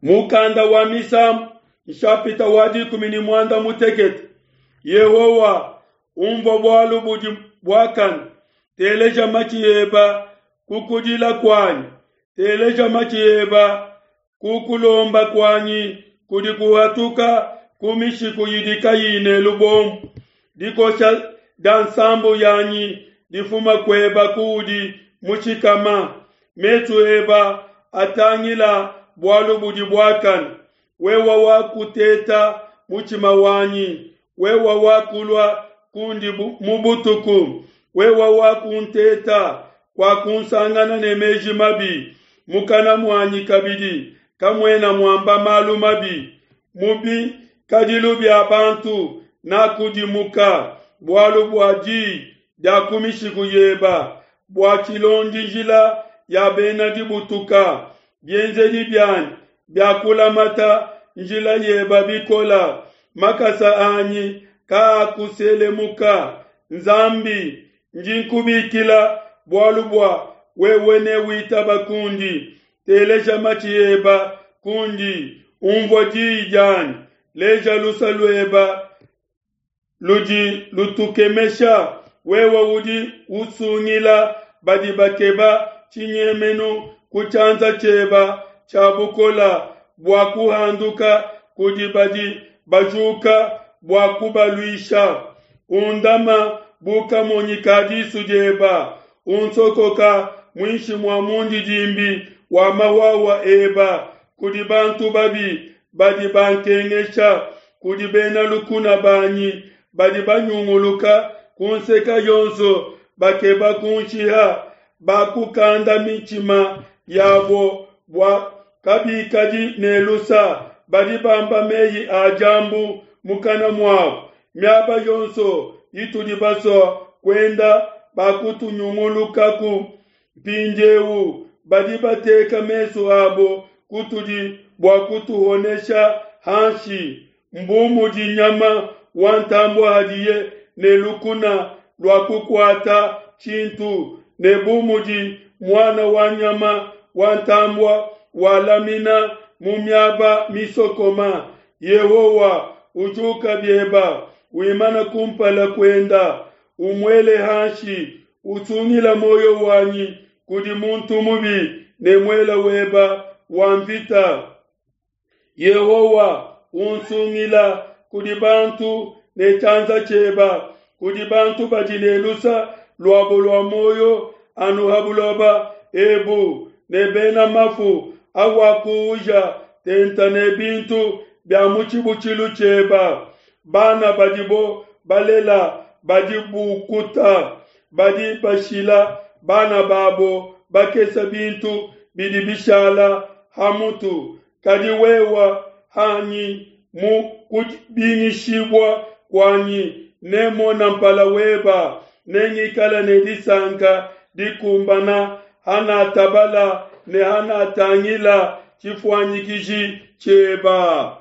Mukanda wa Misambu, nshapita wa 16. Yehowa, umvua bualu budi buakane, teleja matshi eba ku kudila kuanyi, teleja matshi eba ku kulomba kuanyi kudi kuhatuka ku mishiku idi kayi ne lubombo. Dikosha dia nsambu yanyi difuma kueba kuudi mushikama, mesu eba atangila bualu budi buakane. Wewa wakuteta mutshima wanyi, wewa wakulua kundi mu butuku, wewa wakunteta kwakunsangana ne meji mabi. Mukana muanyi kabidi kamuena muamba malu mabi. Mu bikadilu bia bantu nakudimuka, bualu bua diyi dia ku mishiku yeba, bua tshilondi njila ya bena dibutuka. Bienzedi bianyi biakulamata njila yeba bikola, makasa anyi kaakuselemuka. Nzambi, ndi nkubikila bualu bua wewe ne witaba kundi. Teleja matshi eba kundi, umvua diyi dianyi, leja lusa lueba ludi lutukemesha. Wewe udi usungila badi bakeba tshinyemenu ku tshianza tshieba tshia bukola, bua kuhanduka kudi badi bajuka bua kubaluisha. Undama bu kamonyi ka disu dieba, unsokoka muinshi mua mundidimbi wa mawawa eba kudi bantu babi badi bankengesha, kudi bena lukuna banyi badi banyunguluka ku nseka yonso bakeba kunshiha. Bakukanda mitshima yabo bua kabikadi ne lusa, badi bamba meyi a diambu mukana muabo. Miaba yonso itudi basua kuenda bakutunyungulukaku. Mpindieu badi bateka mesu abo kutudi bua kutuhonesha hanshi. Mbu mudi nyama wa ntambue hadiye ne lukuna lua kukuata tshintu, ne bu mudi muana wa nyama wa ntambue walamina mu miaba misokoma. Yehowa, ujuka bieba, wimana kumpala kuenda, umuele hanshi, usungila muoyo wanyi kudi muntu mubi ne muela weba wa mvita. Yehowa, unsungila kudi bantu ne tshianza tshieba, kudi bantu badi ne lusa luabo lua muoyo anu ha buloba ebu, ne bena mafu awakuuja tenta ne bintu bia mu tshibutshilu tshieba. Bana badibo balela badi bukuta, badi bashila bana babo bakesa bintu bidi bishala ha mutu. Kadi wewa hanyi mu kubingishibua kuanyi, nemona mpala weba, nengikala ne disanka dikumbana hanatabala ne hanatangila tshifuanyikiji tshieba.